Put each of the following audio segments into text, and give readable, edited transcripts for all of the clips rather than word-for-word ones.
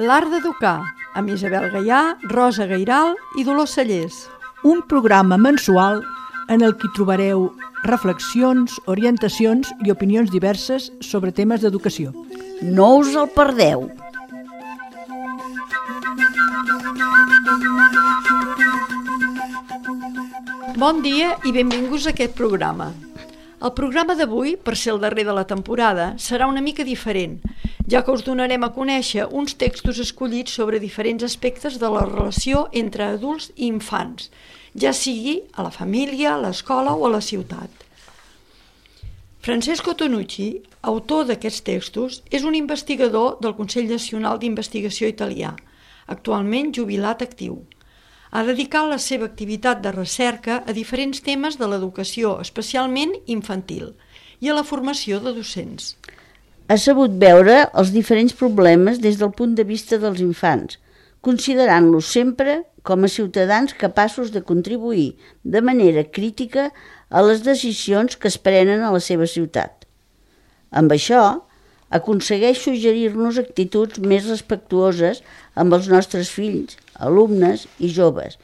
L'art d'educar, amb Isabel Gaià, Rosa Gairal i Dolors Cellers. Un programa mensual en el que trobareu reflexions, orientacions i opinions diverses sobre temes d'educació. No us el perdeu! Bon dia i benvinguts a aquest programa. El programa d'avui, per ser el darrer de la temporada, serà una mica diferent, ja que us donarem a conèixer uns textos escollits sobre diferents aspectes de la relació entre adults i infants, ja sigui a la família, a l'escola o a la ciutat. Francesco Tonucci, autor d'aquests textos, és un investigador del Consell Nacional d'Investigació italià, actualment jubilat actiu. Ha dedicat la seva activitat de recerca a diferents temes de l'educació, especialment infantil, i a la formació de docents. Ha sabut veure els diferents problemes des del punt de vista dels infants, considerant-los sempre com a ciutadans capaços de contribuir de manera crítica a les decisions que es prenen a la seva ciutat. Amb això, aconsegueix suggerir-nos actituds més respectuoses amb els nostres fills, alumnes i joves,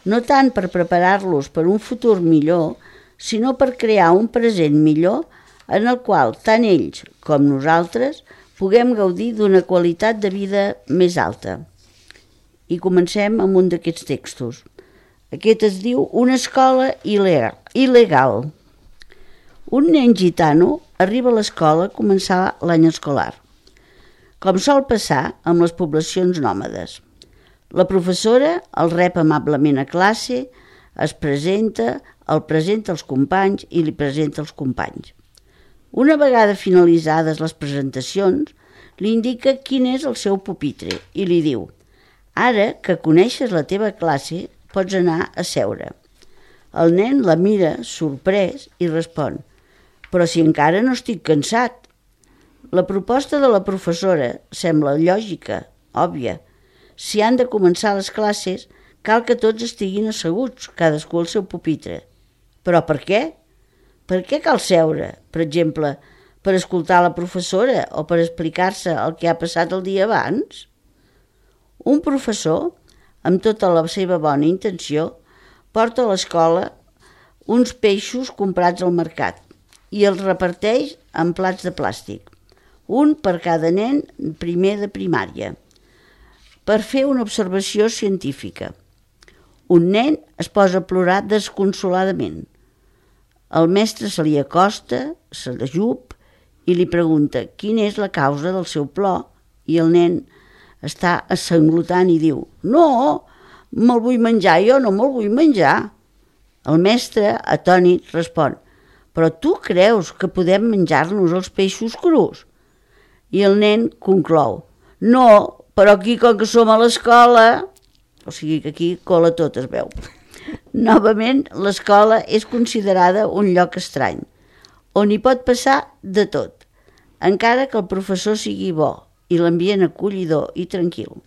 no tant per preparar-los per un futur millor, sinó per crear un present millor en el qual tant ells com nosaltres puguem gaudir d'una qualitat de vida més alta. I comencem amb un d'aquests textos. Aquest es diu Una escola il·legal. Un nen gitano arriba a l'escola a començar l'any escolar, com sol passar amb les poblacions nòmades. La professora el rep amablement a classe, es presenta, el presenta als companys i li presenta els companys. Una vegada finalitzades les presentacions, li indica quin és el seu pupitre i li diu: «Ara que coneixes la teva classe, pots anar a seure». El nen la mira, sorprès, i respon: «Però si encara no estic cansat». La proposta de la professora sembla lògica, òbvia. Si han de començar les classes, cal que tots estiguin asseguts, cadascú al seu pupitre. Però per què? Per què cal seure? Per exemple, per escoltar la professora o per explicar-se el que ha passat el dia abans? Un professor, amb tota la seva bona intenció, porta a l'escola uns peixos comprats al mercat i els reparteix en plats de plàstic, un per cada nen primer de primària, per fer una observació científica. Un nen es posa a plorar desconsoladament. El mestre se li acosta, se l'ajup i li pregunta quina és la causa del seu plor, i el nen està sanglotant i diu: «No, me'l vull menjar, jo no me'l vull menjar». El mestre, atònit, respon: «Però tu creus que podem menjar-nos els peixos crus?» I el nen conclou: «No, però aquí, com que som a l'escola...» O sigui que aquí cola tot, es veu. Novament, l'escola és considerada un lloc estrany, on hi pot passar de tot, encara que el professor sigui bo i l'ambient acollidor i tranquil.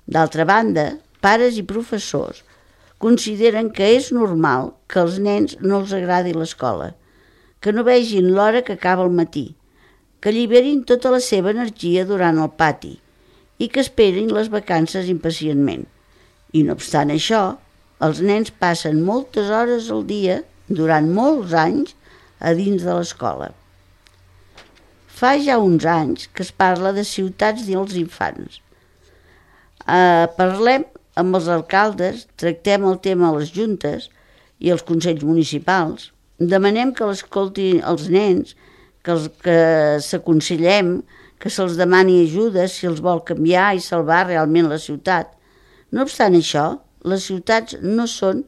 D'altra banda, pares i professors consideren que és normal que als nens no els agradi l'escola, que no vegin l'hora que acaba el matí, que alliberin tota la seva energia durant el pati i que esperin les vacances impacientment. I no obstant això, els nens passen moltes hores al dia, durant molts anys, a dins de l'escola. Fa ja uns anys que es parla de ciutats dels infants. Parlem amb els alcaldes, tractem el tema a les juntes i als consells municipals, demanem que l'escoltin els nens, que s'aconsellem, que se'ls demani ajuda si els vol canviar i salvar realment la ciutat. No obstant això, les ciutats no són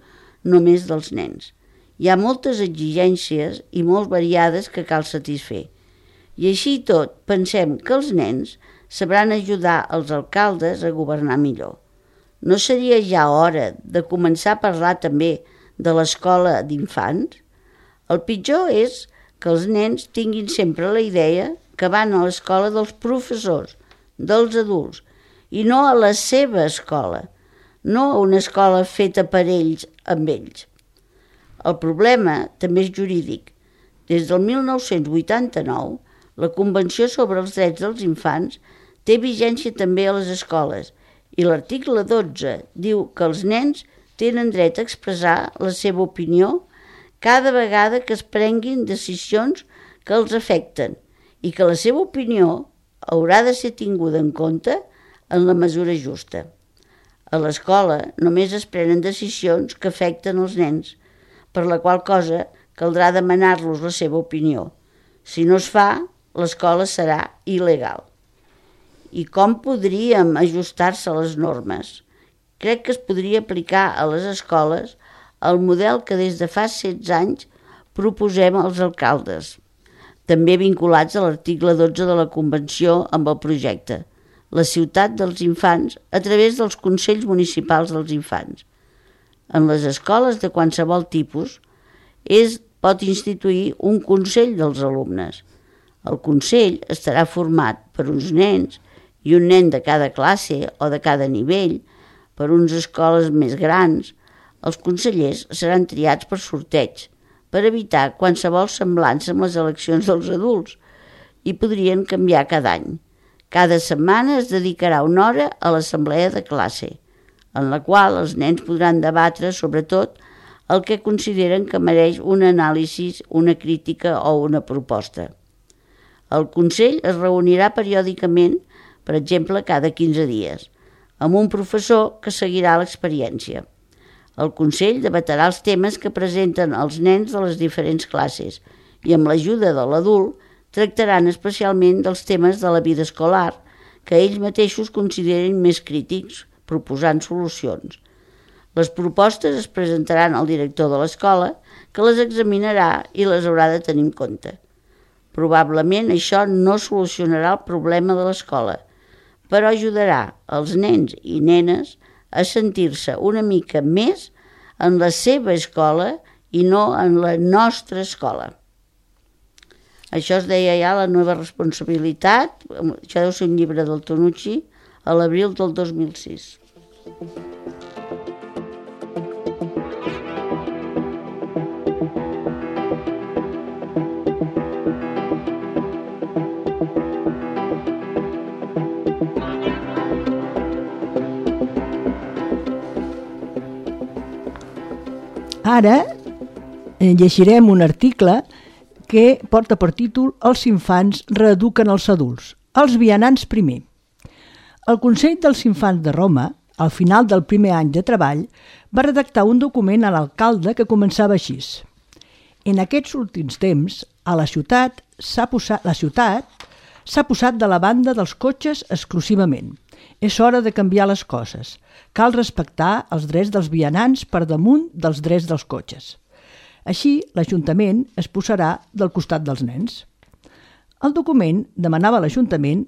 només dels nens. Hi ha moltes exigències i molt variades que cal satisfer. I així i tot, pensem que els nens sabran ajudar els alcaldes a governar millor. No seria ja hora de començar a parlar també de l'escola d'infants? El pitjor és que els nens tinguin sempre la idea que van a l'escola dels professors, dels adults, i no a la seva escola, no a una escola feta per ells amb ells. El problema també és jurídic. Des del 1989, La Convenció sobre els Drets dels Infants té vigència també a les escoles i l'article 12 diu que els nens tenen dret a expressar la seva opinió cada vegada que es prenguin decisions que els afecten i que la seva opinió haurà de ser tinguda en compte en la mesura justa. A l'escola només es prenen decisions que afecten els nens, per la qual cosa caldrà demanar-los la seva opinió. Si no es fa, l'escola serà il·legal. I com podríem ajustar-se a les normes? Crec que es podria aplicar a les escoles el model que des de fa 16 anys proposem als alcaldes, també vinculats a l'article 12 de la Convenció amb el projecte, la ciutat dels infants a través dels consells municipals dels infants. En les escoles de qualsevol tipus pot instituir un consell dels alumnes. El consell estarà format per uns nens i un nen de cada classe o de cada nivell, per unes escoles més grans. Els consellers seran triats per sorteig, per evitar qualsevol semblança amb les eleccions dels adults, i podrien canviar cada any. Cada setmana es dedicarà una hora a l'assemblea de classe, en la qual els nens podran debatre sobre tot el que consideren que mereix un anàlisi, una crítica o una proposta. El Consell es reunirà periòdicament, per exemple cada 15 dies, amb un professor que seguirà l'experiència. El Consell debatrà els temes que presenten els nens de les diferents classes i amb l'ajuda de l'adult tractaran especialment dels temes de la vida escolar que ells mateixos consideren més crítics, proposant solucions. Les propostes es presentaran al director de l'escola, que les examinarà i les haurà de tenir en compte. Probablement això no solucionarà el problema de l'escola, però ajudarà els nens i nenes a sentir-se una mica més en la seva escola i no en la nostra escola. Això es deia ja La nova responsabilitat, això deu ser un llibre del Tonucci, a l'abril del 2006. Ara llegirem un article que porta per títol Els infants reeduquen els adults, els vianants primer. El Consell dels Infants de Roma, al final del primer any de treball, va redactar un document a l'alcalde que començava així. En aquests últims temps, a la ciutat s'ha posat de la banda dels cotxes exclusivament. És hora de canviar les coses. Cal respectar els drets dels vianants per damunt dels drets dels cotxes. Així, l'Ajuntament es posarà del costat dels nens. El document demanava a l'Ajuntament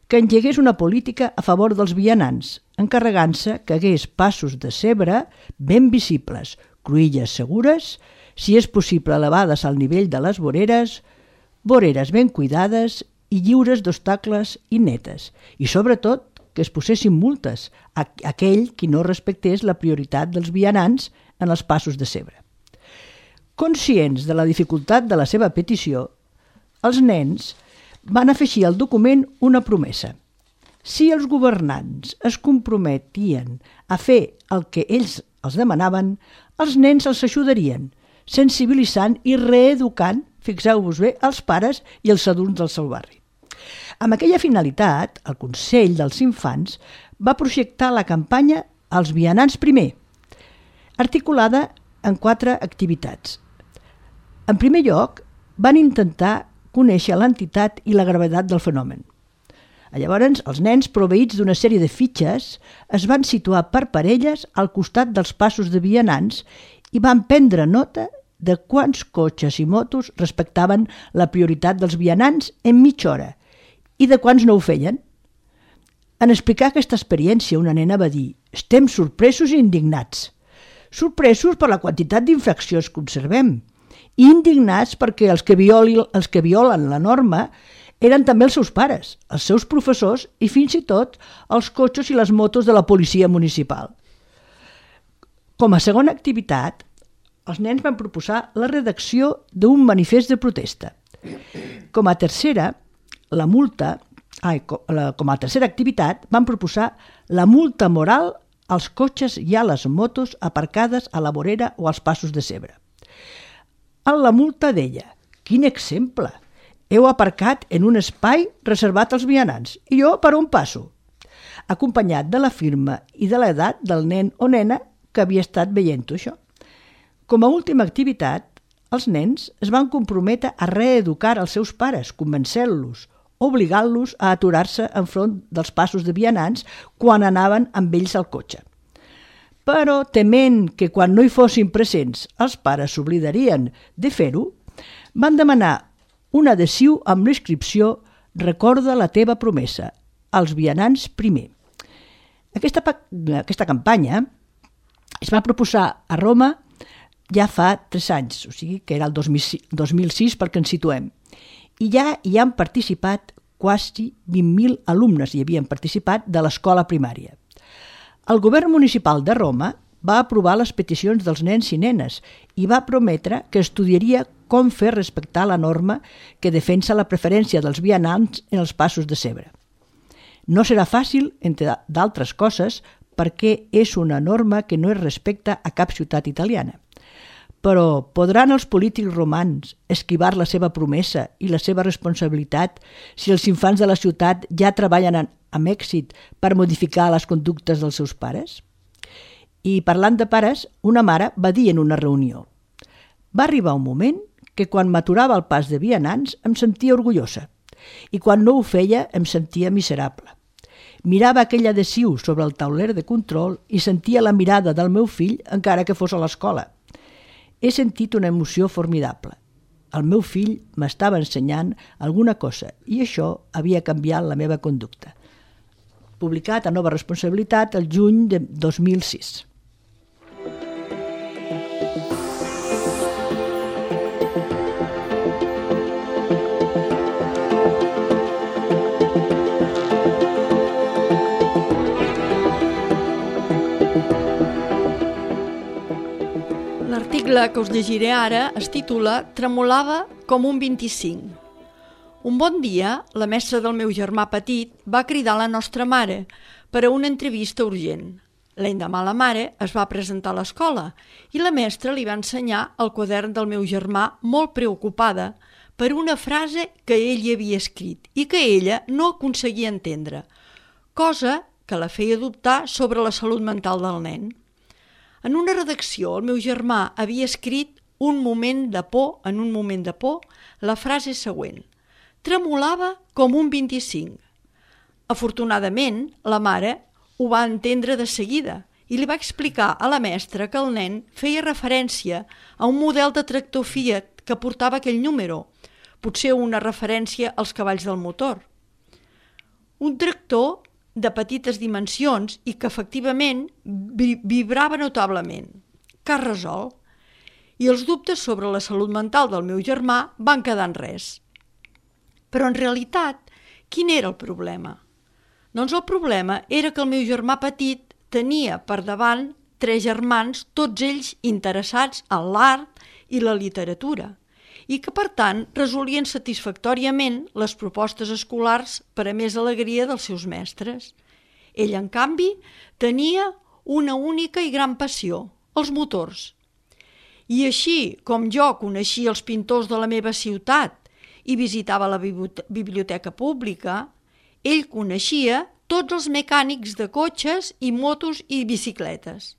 que engegués una política a favor dels vianants, encarregant-se que hagués passos de zebra ben visibles, cruïlles segures, si és possible elevades al nivell de les voreres ben cuidades i lliures d'obstacles i netes, i sobretot que es posessin multes a aquell qui no respectés la prioritat dels vianants en els passos de zebra. Conscients de la dificultat de la seva petició, els nens van afegir al document una promesa. Si els governants es comprometien a fer el que ells els demanaven, els nens els ajudarien, sensibilitzant i reeducant, fixeu-vos bé, els pares i els adults del seu barri. Amb aquella finalitat, el Consell dels Infants va projectar la campanya Els vianants primer, articulada en 4 activitats. En primer lloc, van intentar conèixer l'entitat i la gravetat del fenomen. Llavors, els nens, proveïts d'una sèrie de fitxes, es van situar per parelles al costat dels passos de vianants i van prendre nota de quants cotxes i motos respectaven la prioritat dels vianants en mitja hora i de quants no ho feien. En explicar aquesta experiència, una nena va dir: «Estem sorpresos i indignats. Sorpresos per la quantitat d'infraccions que observem i indignats perquè els que violen la norma eren també els seus pares, els seus professors i fins i tot els cotxes i les motos de la policia municipal». Com a segona activitat, els nens van proposar la redacció d'un manifest de protesta. Com a tercera, com a tercera activitat, van proposar la multa moral als cotxes i a les motos aparcades a la vorera o als passos de zebra. En la multa deia: quin exemple! Heu aparcat en un espai reservat als vianants i jo per on passo? Acompanyat de la firma i de l'edat del nen o nena que havia estat veient això. Com a última activitat, els nens es van comprometre a reeducar els seus pares, convencent-los, obligant-los a aturar-se enfront dels passos de vianants quan anaven amb ells al cotxe. Però, tement que quan no hi fossin presents els pares s'oblidarien de fer-ho, van demanar un adhesiu amb l'inscripció «Recorda la teva promesa, als vianants primer». Aquesta campanya es va proposar a Roma ja fa 3 anys, o sigui que era el 2006 perquè ens situem. I ja hi han participat quasi 20.000 alumnes hi havien participat de l'escola primària. El govern municipal de Roma va aprovar les peticions dels nens i nenes i va prometre que estudiaria com fer respectar la norma que defensa la preferència dels vianants en els passos de zebra. No serà fàcil, entre d'altres coses, perquè és una norma que no es respecta a cap ciutat italiana. Però podran els polítics romans esquivar la seva promesa i la seva responsabilitat si els infants de la ciutat ja treballen amb èxit per modificar les conductes dels seus pares? I parlant de pares, una mare va dir en una reunió: va arribar un moment que quan m'aturava al pas de vianants em sentia orgullosa i quan no ho feia em sentia miserable. Mirava aquell adhesiu sobre el tauler de control i sentia la mirada del meu fill encara que fos a l'escola. He sentit una emoció formidable. El meu fill m'estava ensenyant alguna cosa i això havia canviat la meva conducta. Publicat a Nova Responsabilitat el juny de 2006. L'article que us llegiré ara es titula «Tremolava com un 25». Un bon dia, la mestra del meu germà petit va cridar la nostra mare per a una entrevista urgent. L'endemà la mare es va presentar a l'escola i la mestra li va ensenyar el quadern del meu germà molt preocupada per una frase que ell hi havia escrit i que ella no aconseguia entendre, cosa que la feia dubtar sobre la salut mental del nen. En una redacció, el meu germà havia escrit en un moment de por, la frase següent: «Tremolava com un 25». Afortunadament, la mare ho va entendre de seguida i li va explicar a la mestra que el nen feia referència a un model de tractor Fiat que portava aquell número, potser una referència als cavalls del motor. Un tractor de petites dimensions i que efectivament vibrava notablement. Cas resolt. I els dubtes sobre la salut mental del meu germà van quedar en res. Però en realitat, quin era el problema? Doncs el problema era que el meu germà petit tenia per davant 3 germans, tots ells interessats en l'art i la literatura, i que, per tant, resolien satisfactòriament les propostes escolars per a més alegria dels seus mestres. Ell, en canvi, tenia una única i gran passió, els motors. I així com jo coneixia els pintors de la meva ciutat i visitava la biblioteca pública, ell coneixia tots els mecànics de cotxes i motos i bicicletes.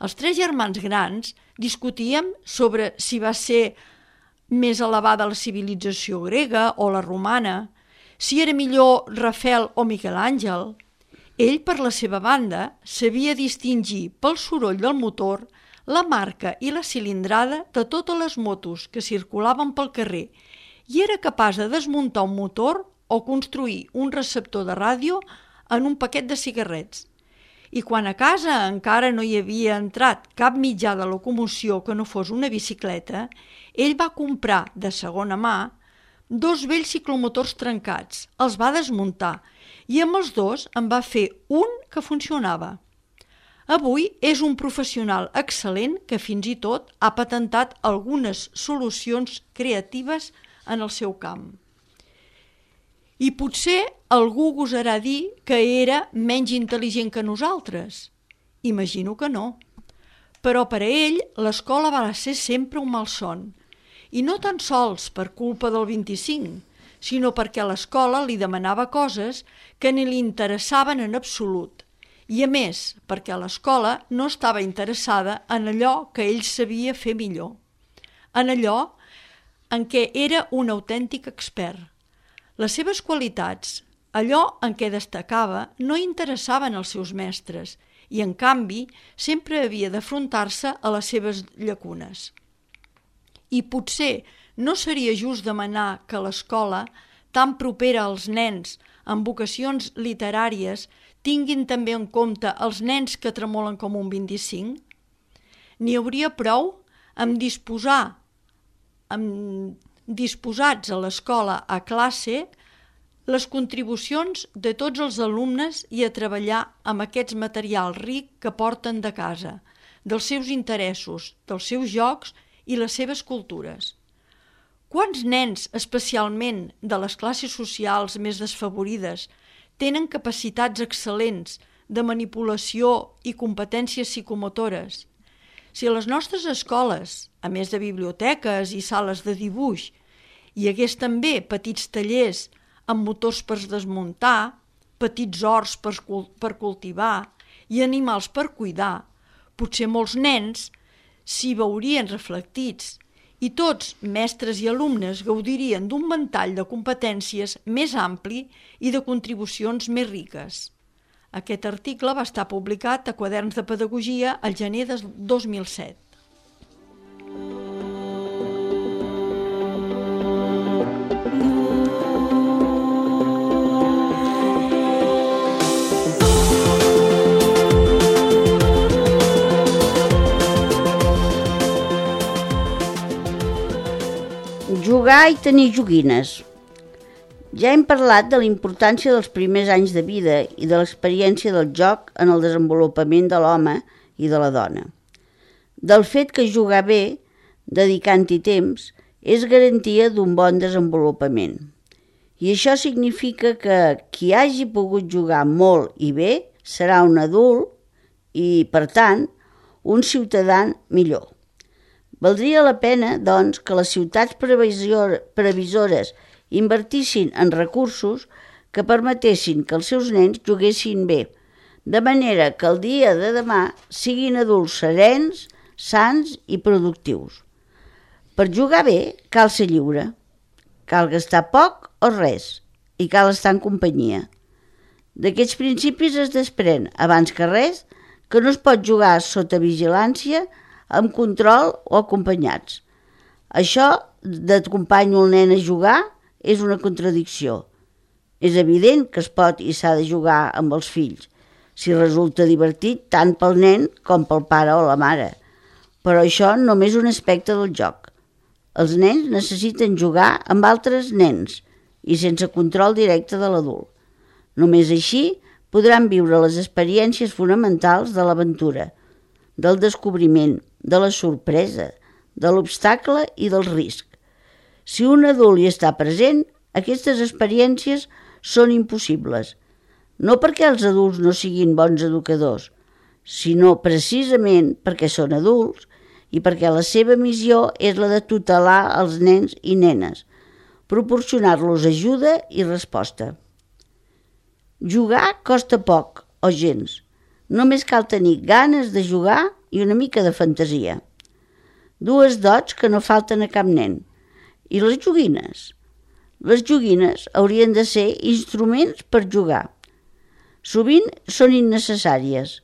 Els 3 germans grans discutíem sobre si va ser més elevada la civilització grega o la romana, si era millor Rafael o Miquel Àngel. Ell, per la seva banda, sabia distingir pel soroll del motor la marca i la cilindrada de totes les motos que circulaven pel carrer i era capaç de desmuntar un motor o construir un receptor de ràdio en un paquet de cigarrets. I quan a casa encara no hi havia entrat cap mitjà de locomoció que no fos una bicicleta, ell va comprar de segona mà 2 vells ciclomotors trencats, els va desmuntar i amb els 2 en va fer un que funcionava. Avui és un professional excel·lent que fins i tot ha patentat algunes solucions creatives en el seu camp. I potser algú gosarà dir que era menys intel·ligent que nosaltres. Imagino que no. Però per a ell l'escola va ser sempre un malson. I no tan sols per culpa del 25, sinó perquè l'escola li demanava coses que ni li interessaven en absolut. I a més, perquè l'escola no estava interessada en allò que ell sabia fer millor. En allò en què era un autèntic expert. Les seves qualitats, allò en què destacava, no interessaven als seus mestres i, en canvi, sempre havia d'afrontar-se a les seves llacunes. I potser no seria just demanar que l'escola, tan propera als nens amb vocacions literàries, tinguin també en compte els nens que tremolen com un 25? N'hi hauria prou amb disposats a l'escola a classe les contribucions de tots els alumnes i a treballar amb aquest material ric que porten de casa, dels seus interessos, dels seus jocs i les seves cultures. Quants nens, especialment de les classes socials més desfavorides, tenen capacitats excel·lents de manipulació i competències psicomotores? Si a les nostres escoles, a més de biblioteques i sales de dibuix, hi hagués també petits tallers amb motors per desmuntar, petits horts per cultivar i animals per cuidar, potser molts nens s'hi veurien reflectits i tots, mestres i alumnes, gaudirien d'un ventall de competències més ampli i de contribucions més riques. Aquest article va estar publicat a Quaderns de Pedagogia al gener de 2007. Jugar i tenir joguines. Ja hem parlat de la importància dels primers anys de vida i de l'experiència del joc en el desenvolupament de l'home i de la dona. Del fet que jugar bé, dedicant-hi temps, és garantia d'un bon desenvolupament. I això significa que qui hagi pogut jugar molt i bé serà un adult i, per tant, un ciutadà millor. Valdria la pena, doncs, que les ciutats previsores invertissin en recursos que permetessin que els seus nens juguessin bé, de manera que el dia de demà siguin adults serens, sans i productius. Per jugar bé cal ser lliure, cal gastar poc o res i cal estar en companyia. D'aquests principis es desprèn, abans que res, que no es pot jugar sota vigilància, amb control o acompanyats. Això d'acompanyo el nen a jugar és una contradicció. És evident que es pot i s'ha de jugar amb els fills, si resulta divertit tant pel nen com pel pare o la mare. Però això només és un aspecte del joc. Els nens necessiten jugar amb altres nens i sense control directe de l'adult. Només així podran viure les experiències fonamentals de l'aventura, del descobriment, de la sorpresa, de l'obstacle i del risc. Si un adult hi està present, aquestes experiències són impossibles. No perquè els adults no siguin bons educadors, sinó precisament perquè són adults i perquè la seva missió és la de tutelar els nens i nenes, proporcionar-los ajuda i resposta. Jugar costa poc o gens. Només cal tenir ganes de jugar i una mica de fantasia. Dues dots que no falten a cap nen. I les joguines? Les joguines haurien de ser instruments per jugar. Sovint són innecessàries,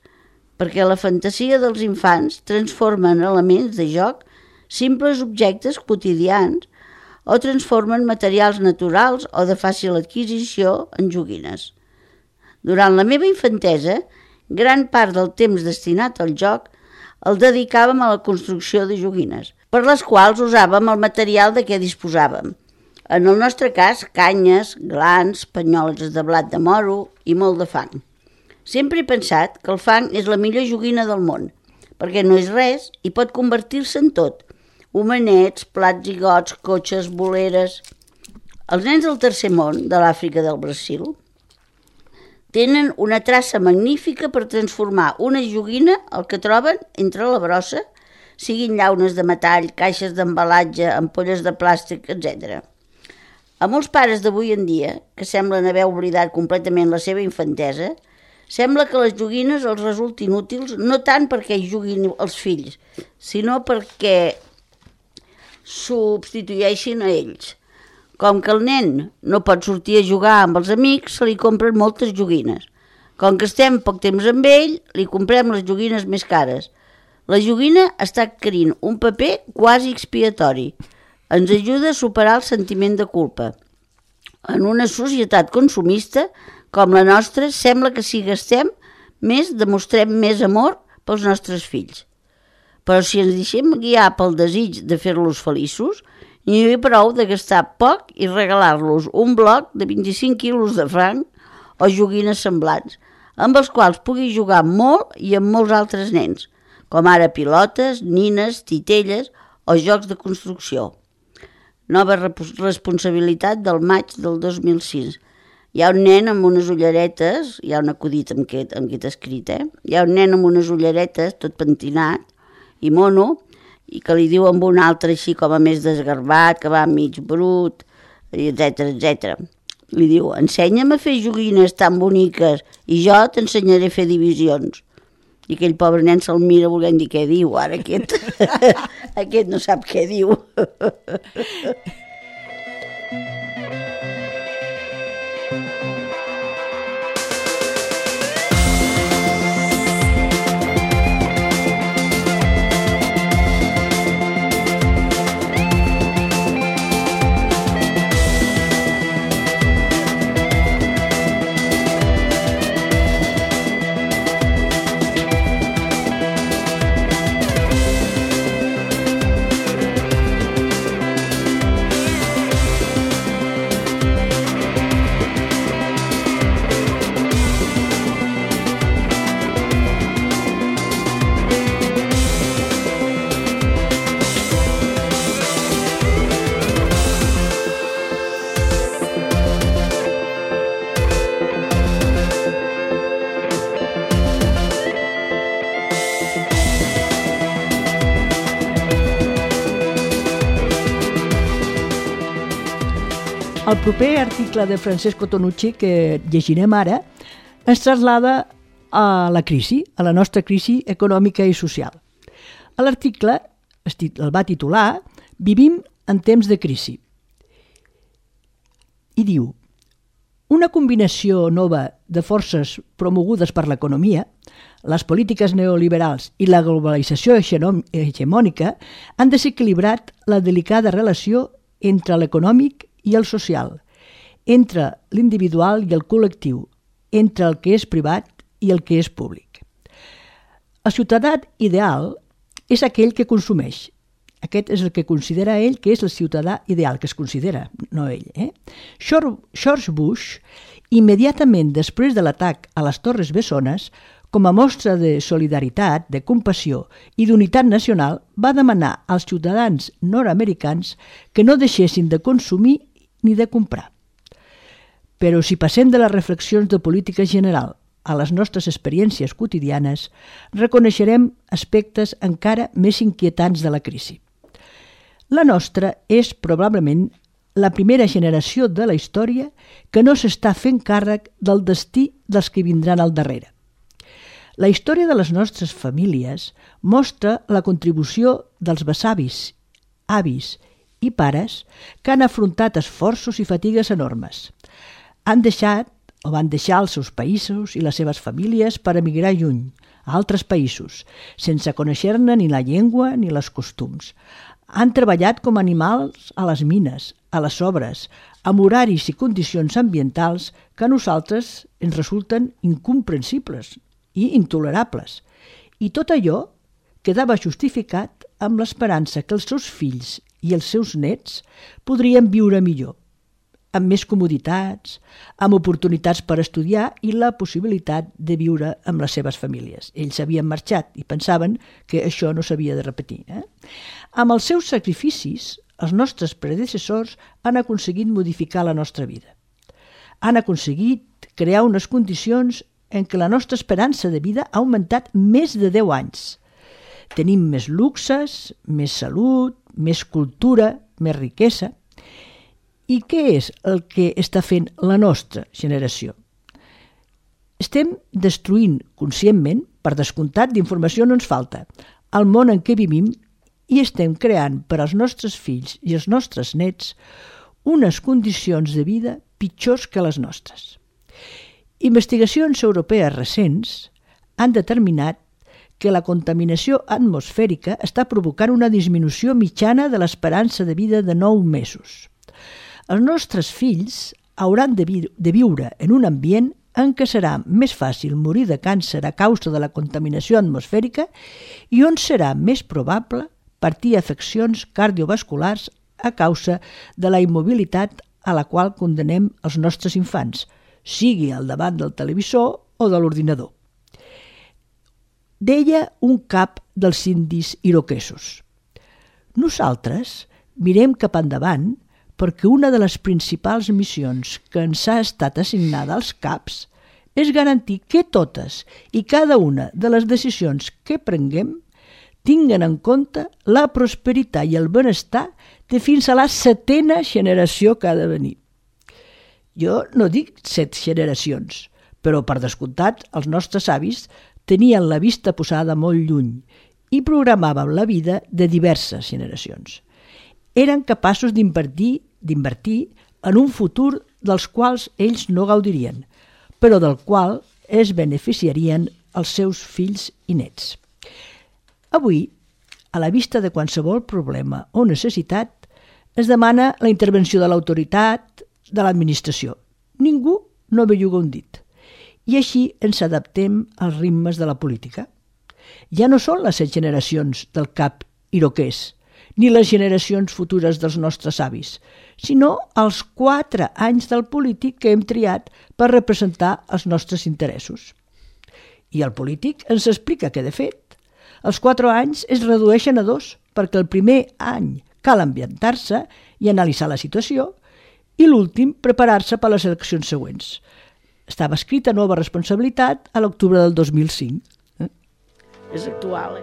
perquè la fantasia dels infants transforma en elements de joc simples objectes quotidians o transformen materials naturals o de fàcil adquisició en joguines. Durant la meva infantesa, gran part del temps destinat al joc el dedicàvem a la construcció de joguines, per les quals usàvem el material de què disposàvem. En el nostre cas, canyes, glans, panyoles de blat de moro i molt de fang. Sempre he pensat que el fang és la millor joguina del món, perquè no és res i pot convertir-se en tot. Homenets, plats i gots, cotxes, boleres... Els nens del tercer món, de l'Àfrica del Brasil, tenen una traça magnífica per transformar una joguina el que troben entre la brossa, siguin llaunes de metall, caixes d'embalatge, ampolles de plàstic, etc. A molts pares d'avui en dia, que semblen haver oblidat completament la seva infantesa, sembla que les joguines els resultin útils no tant perquè hi juguin els fills, sinó perquè substitueixin a ells. Com que el nen no pot sortir a jugar amb els amics, se li compren moltes joguines. Com que estem poc temps amb ell, li comprem les joguines més cares. La joguina està adquirint un paper quasi expiatori. Ens ajuda a superar el sentiment de culpa. En una societat consumista com la nostra, sembla que si gastem més, demostrem més amor pels nostres fills. Però si ens deixem guiar pel desig de fer-los feliços, n'hi ha prou de gastar poc i regalar-los un bloc de 25 quilos de franc o joguines semblants, amb els quals pugui jugar molt i amb molts altres nens, com ara pilotes, nines, titelles o jocs de construcció. Nova responsabilitat del maig del 2006. Hi ha un nen amb unes ulleretes, hi ha un acudit amb què t'ha escrit, Hi ha un nen amb unes ulleretes, tot pentinat i mono, i que li diu amb un altre així com a més desgarbat, que va mig brut, etc. Li diu, ensenya'm a fer joguines tan boniques i jo t'ensenyaré a fer divisions. I aquell pobre nen se'l mira volent dir què diu, ara aquest, aquest no sap què diu. El proper article de Francesco Tonucci que llegirem ara ens traslada a la crisi, a la nostra crisi econòmica i social. L'article el va titular Vivim en temps de crisi i diu: una combinació nova de forces promogudes per l'economia, les polítiques neoliberals i la globalització hegemònica han desequilibrat la delicada relació entre l'econòmic i el social, entre l'individual i el col·lectiu, entre el que és privat i el que és públic. El ciutadà ideal és aquell que consumeix. Aquest és el que considera ell que és el ciutadà ideal, que es considera, no ell. George Bush, immediatament després de l'atac a les Torres Bessones, com a mostra de solidaritat, de compassió i d'unitat nacional, va demanar als ciutadans nord-americans que no deixessin de consumir ni de comprar. Però si passem de les reflexions de política general a les nostres experiències quotidianes, reconeixerem aspectes encara més inquietants de la crisi. La nostra és probablement la primera generació de la història que no s'està fent càrrec del destí dels que vindran al darrere. La història de les nostres famílies mostra la contribució dels besavis, avis i pares que han afrontat esforços i fatigues enormes. Van deixar els seus països i les seves famílies per emigrar lluny, a altres països, sense conèixer-ne ni la llengua ni els costums. Han treballat com animals a les mines, a les obres, amb horaris i condicions ambientals que a nosaltres ens resulten incomprensibles i intolerables. I tot allò quedava justificat amb l'esperança que els seus fills i els seus nets podrien viure millor, amb més comoditats, amb oportunitats per estudiar i la possibilitat de viure amb les seves famílies. Ells havien marxat i pensaven que això no s'havia de repetir. Amb els seus sacrificis, els nostres predecessors han aconseguit modificar la nostra vida. Han aconseguit crear unes condicions en què la nostra esperança de vida ha augmentat més de 10 anys. Tenim més luxes, més salut, més cultura, més riquesa. I què és el que està fent la nostra generació? Estem destruint conscientment, per descomptat d'informació no ens falta, el món en què vivim i estem creant per als nostres fills i els nostres nets unes condicions de vida pitjors que les nostres. Investigacions europees recents han determinat que la contaminació atmosfèrica està provocant una disminució mitjana de l'esperança de vida de 9 mesos. Els nostres fills hauran de viure en un ambient en què serà més fàcil morir de càncer a causa de la contaminació atmosfèrica i on serà més probable patir afeccions cardiovasculars a causa de la immobilitat a la qual condenem els nostres infants, sigui al davant del televisor o de l'ordinador. Deia un cap dels indis iroquesos: nosaltres mirem cap endavant perquè una de les principals missions que ens ha estat assignada als caps és garantir que totes i cada una de les decisions que prenguem tinguen en compte la prosperitat i el benestar de fins a la 7a generació que ha de venir. Jo no dic 7 generacions, però per descomptat els nostres avis tenien la vista posada molt lluny i programaven la vida de diverses generacions. Eren capaços d'invertir en un futur dels quals ells no gaudirien, però del qual es beneficiarien els seus fills i nets. Avui, a la vista de qualsevol problema o necessitat, es demana la intervenció de l'autoritat, de l'administració. Ningú no belluga un dit. I així ens adaptem als ritmes de la política. Ja no són les 7 generacions del cap iroquès, ni les generacions futures dels nostres avis, sinó els 4 anys del polític que hem triat per representar els nostres interessos. I el polític ens explica que, de fet, els 4 anys es redueixen a 2, perquè el primer any cal ambientar-se i analitzar la situació i l'últim preparar-se per a les eleccions següents. Estava escrita nova responsabilitat a l'octubre del 2005. És actual,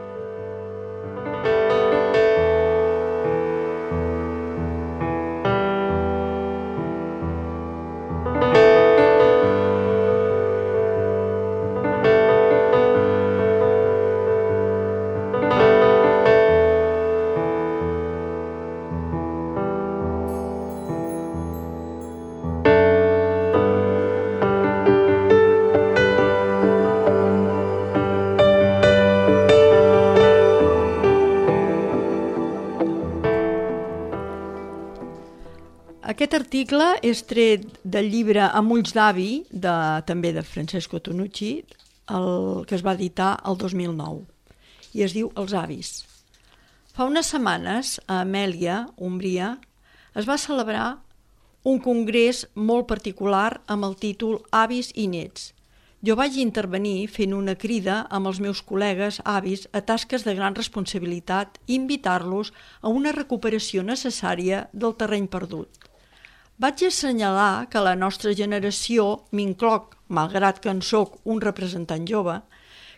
Aquest article és tret del llibre Amb ulls d'avi, també de Francesco Tonucci, que es va editar el 2009, i es diu Els avis. Fa unes setmanes, a Amèlia, Umbria, es va celebrar un congrés molt particular amb el títol Avis i nets. Jo vaig intervenir fent una crida amb els meus col·legues avis a tasques de gran responsabilitat i invitar-los a una recuperació necessària del terreny perdut. Vaig assenyalar que la nostra generació, m'incloc, malgrat que en soc un representant jove,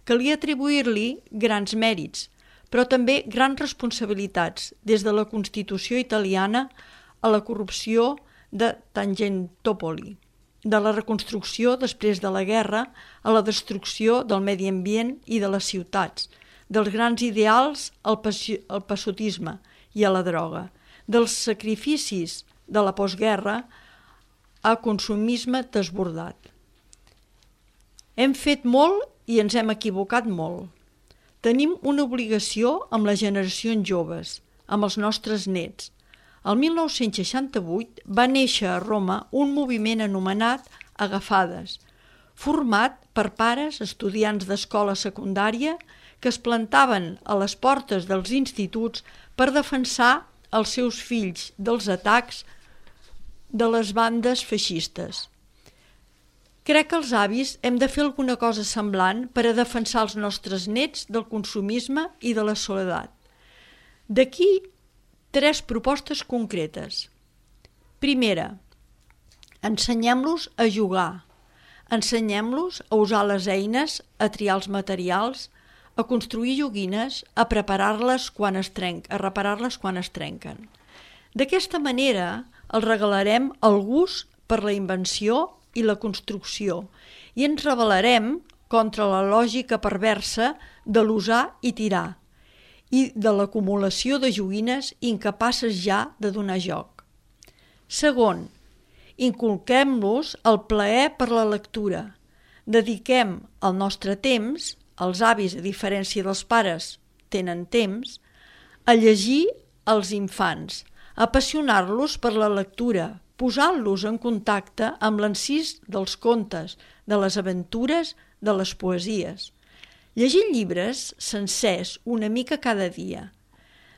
calia atribuir-li grans mèrits, però també grans responsabilitats, des de la Constitució italiana a la corrupció de Tangentopoli, de la reconstrucció després de la guerra a la destrucció del medi ambient i de les ciutats, dels grans ideals al passotisme i a la droga, dels sacrificis de la postguerra a consumisme desbordat. Hem fet molt i ens hem equivocat molt. Tenim una obligació amb les generacions joves, amb els nostres nets. El 1968 va néixer a Roma un moviment anomenat Agafades, format per pares, estudiants d'escola secundària que es plantaven a les portes dels instituts per defensar els seus fills dels atacs de les bandes feixistes. Crec que els avis hem de fer alguna cosa semblant per a defensar els nostres nets del consumisme i de la soledat. D'aquí 3 propostes concretes. Primera, ensenyem-los a jugar. Ensenyem-los a usar les eines, a triar els materials, a construir joguines, a reparar-les quan es trenquen. D'aquesta manera els regalarem el gust per la invenció i la construcció i ens rebel·larem contra la lògica perversa de l'usar i tirar i de l'acumulació de joguines incapaces ja de donar joc. Segon, inculquem-los el plaer per la lectura. Dediquem el nostre temps, els avis, a diferència dels pares, tenen temps, a llegir als infants, a apassionar-los per la lectura, posant-los en contacte amb l'encís dels contes, de les aventures, de les poesies. Llegir llibres sencers una mica cada dia.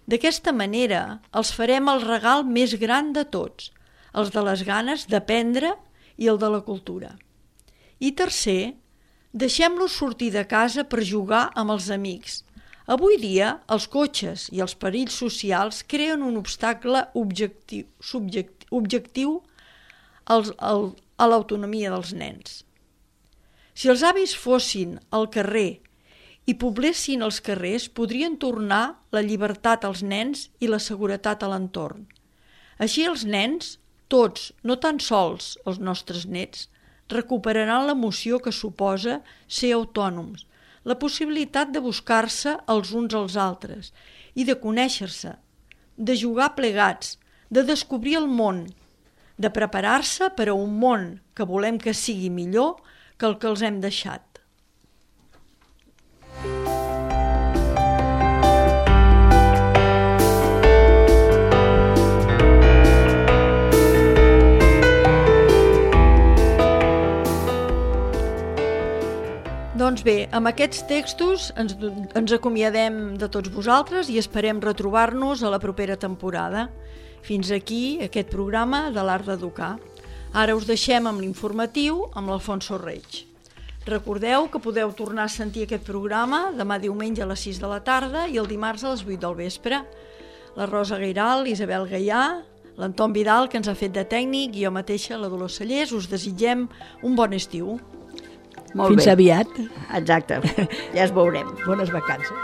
D'aquesta manera els farem el regal més gran de tots, els de les ganes d'aprendre i el de la cultura. I tercer, deixem-los sortir de casa per jugar amb els amics. Avui dia, els cotxes i els perills socials creen un obstacle objectiu a l'autonomia dels nens. Si els avis fossin al carrer i poblessin els carrers, podrien tornar la llibertat als nens i la seguretat a l'entorn. Així els nens, tots, no tan sols els nostres nets, recuperaran l'emoció que suposa ser autònoms, la possibilitat de buscar-se els uns als altres i de conèixer-se, de jugar plegats, de descobrir el món, de preparar-se per a un món que volem que sigui millor que el que els hem deixat. Doncs bé, amb aquests textos ens acomiadem de tots vosaltres i esperem retrobar-nos a la propera temporada. Fins aquí aquest programa de l'Art d'Educar. Ara us deixem amb l'informatiu amb l'Alfonso Reig. Recordeu que podeu tornar a sentir aquest programa demà diumenge a les 6 de la tarda i el dimarts a les 8 del vespre. La Rosa Gairal, l'Isabel Gaià, l'Anton Vidal, que ens ha fet de tècnic, i jo mateixa, la Dolors Cellers, us desitgem un bon estiu. Molt Fins bé. aviat. Exacte, ja es veurem. Bones vacances.